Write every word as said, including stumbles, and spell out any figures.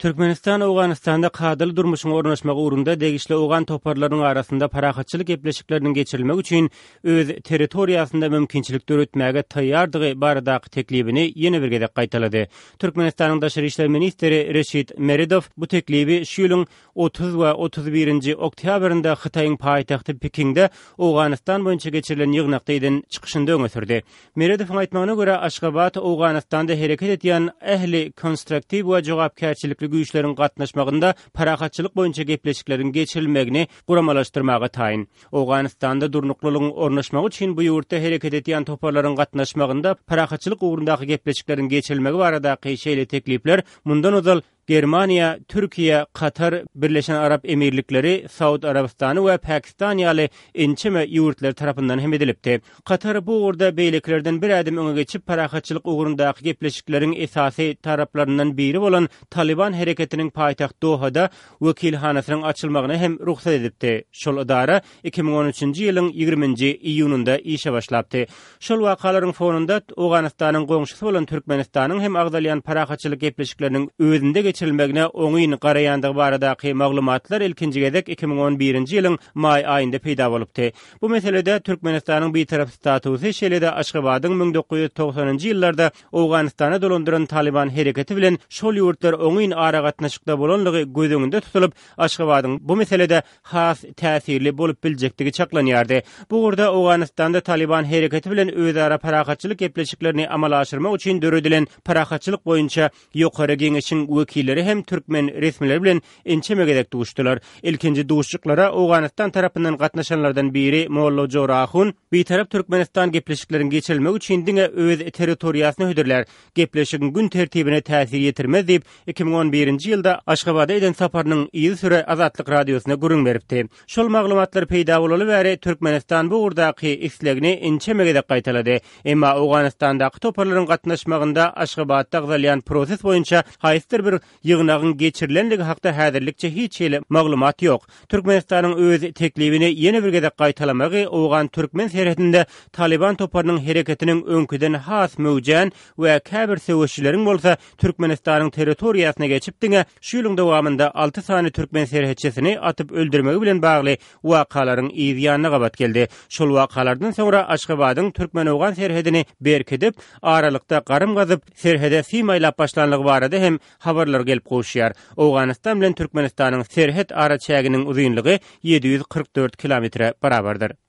Türkmenistan Owganystanda kadaly durmuşyň ornaşmagy ugrunda degişli owgan toparlarynyň arasynda parahatçylyk gepleşikleriniň geçirilmegi üçin öz territoriýasynda mümkinçilik döretmäge taýýardygy baradaky teklibini ýene bir gezek gaýtalady. Türkmenistanyň Daşary işler ministri Reşit Meredow bu teklibi şu ýylyň otuz we otuz birinji oktýabrynda Hytaýyň paýtagty Pekinde Owganystan boýunça geçirilen ýygnakda eden çykyşynda öňe sürdi. Meredowyň aýtmagyna görä, Aşgabat Owganystanda hereket edýän ähli konstruktiw we jogapkärçilikli güýçleriň gatnaşmagynda parahatçylyk boýunça gepleşikleriň geçirilmegini guramalaşdyrmaga taýyn. Owganystanda durnuklylygyň ornaşmagy üçin bu ýurtda hereket edýän toparlaryň gatnaşmagynda parahatçylyk ugrundaky gepleşikleriň geçirilmegi baradaky şeýle teklipler mundan ozal Germaniýa, Türkiýe, Katar, Birleşen Arap Emirlikleri, Saud Arabystany we Pakistan ýaly ençeme ýurtlar tarapyndan hem edilipdi. Katar bu ugurda beýlekilerden bir ädim öňe geçip, parahatçylyk ugrundaky gepleşikleriň esasy taraplaryndan biri bolan Talyban hereketiniň paýtagt Dohada wekilhanasynyň açylmagyna hem rugsat edipdi. Şol edara iki müň on üçünji ýylyň ýigriminji iýunynda işe başlapdy. Şol wakalaryň fonunda Owganystanyň goňşusy bolan Türkmenistanyň hem agzalýan parahatçylyk gepleşikleriniň özünde geçirilmegine oňyn garaýandygy baradaky maglumatlar ilkinji gezek iki müň on birinji ýylyň maý aýynda peýda bolupdy. Bu meselede Türkmenistanyň bitarap statusy, şeýle-de Aşgabadyň müň dokuz ýüz togsanynjy ýyllarda Owganystana dolandyran Talyban hereketi bilen şol ýurtlar oňyn aragatnaşykda bolanlygy göz öňünde tutulyp, Aşgabadyň bu meselede has täsirli bolup biljekdigi çaklanýardy. Bu ugurda Owganystanda Talyban hereketi bilen özara parahatçylyk gepleşiklerini amala aşyrmak üçin döredilen parahatçylyk boýunça ýokary geňeşiň wekilleri hem türkmen resmileri bilen ençeme gezek duşdular. Ilkinji duşuşyklara Owganystan tarapyndan gatnaşanlardan biri Molla Jorahun Bitarap Türkmenistan gepleşikleriň geçirilmegi üçin diňe öz territoriýasyny hödürlär, gepleşigiň gün tertibine täsir ýetirmez diýip, iki müň on birinji ýylda Aşgabada eden saparynyň yzysüre Azatlyk Radiosyna gürrüň beripdi. Şol maglumatlar peýda bolaly bäri Türkmenistan bu ugurdaky islegini ençeme gezek gaýtalady. Emma Owganystandaky toparlaryň gatnaşmagynda Aşgabatda agzalýan proses boýunça haýsydyr bir ýygnagyň geçirilenligi hakda häzirlikçe hiç hili maglumat ýok. Türkmenistanyň öz teklibini ýene bir gezek gaýtalamagy Owgan-Türkmen serhedinde Talyban toparynyň hereketiniň öňküden has möwjän we käbir söweşçileriň bolsa Türkmenistanyň territoriýasyna geçip diňe şu ýylyň dowamynda alty sany türkmen serhetçisini atyp öldürmegi bilen bagly wakalaryň yz ýanyna gabat geldi. Şol wakalardan soňra Aşgabadyň Türkmen-Owgan serhedini berkidip, aralykda garym gazyp, serhede sim aýlap başlanlygy barada hem habarlar gelip gowuşýar. Owganystan bilen Türkmenistanyň serhet araçäginiň uzynlygy ýedi ýüz kyrk dört kilometre barabardyr.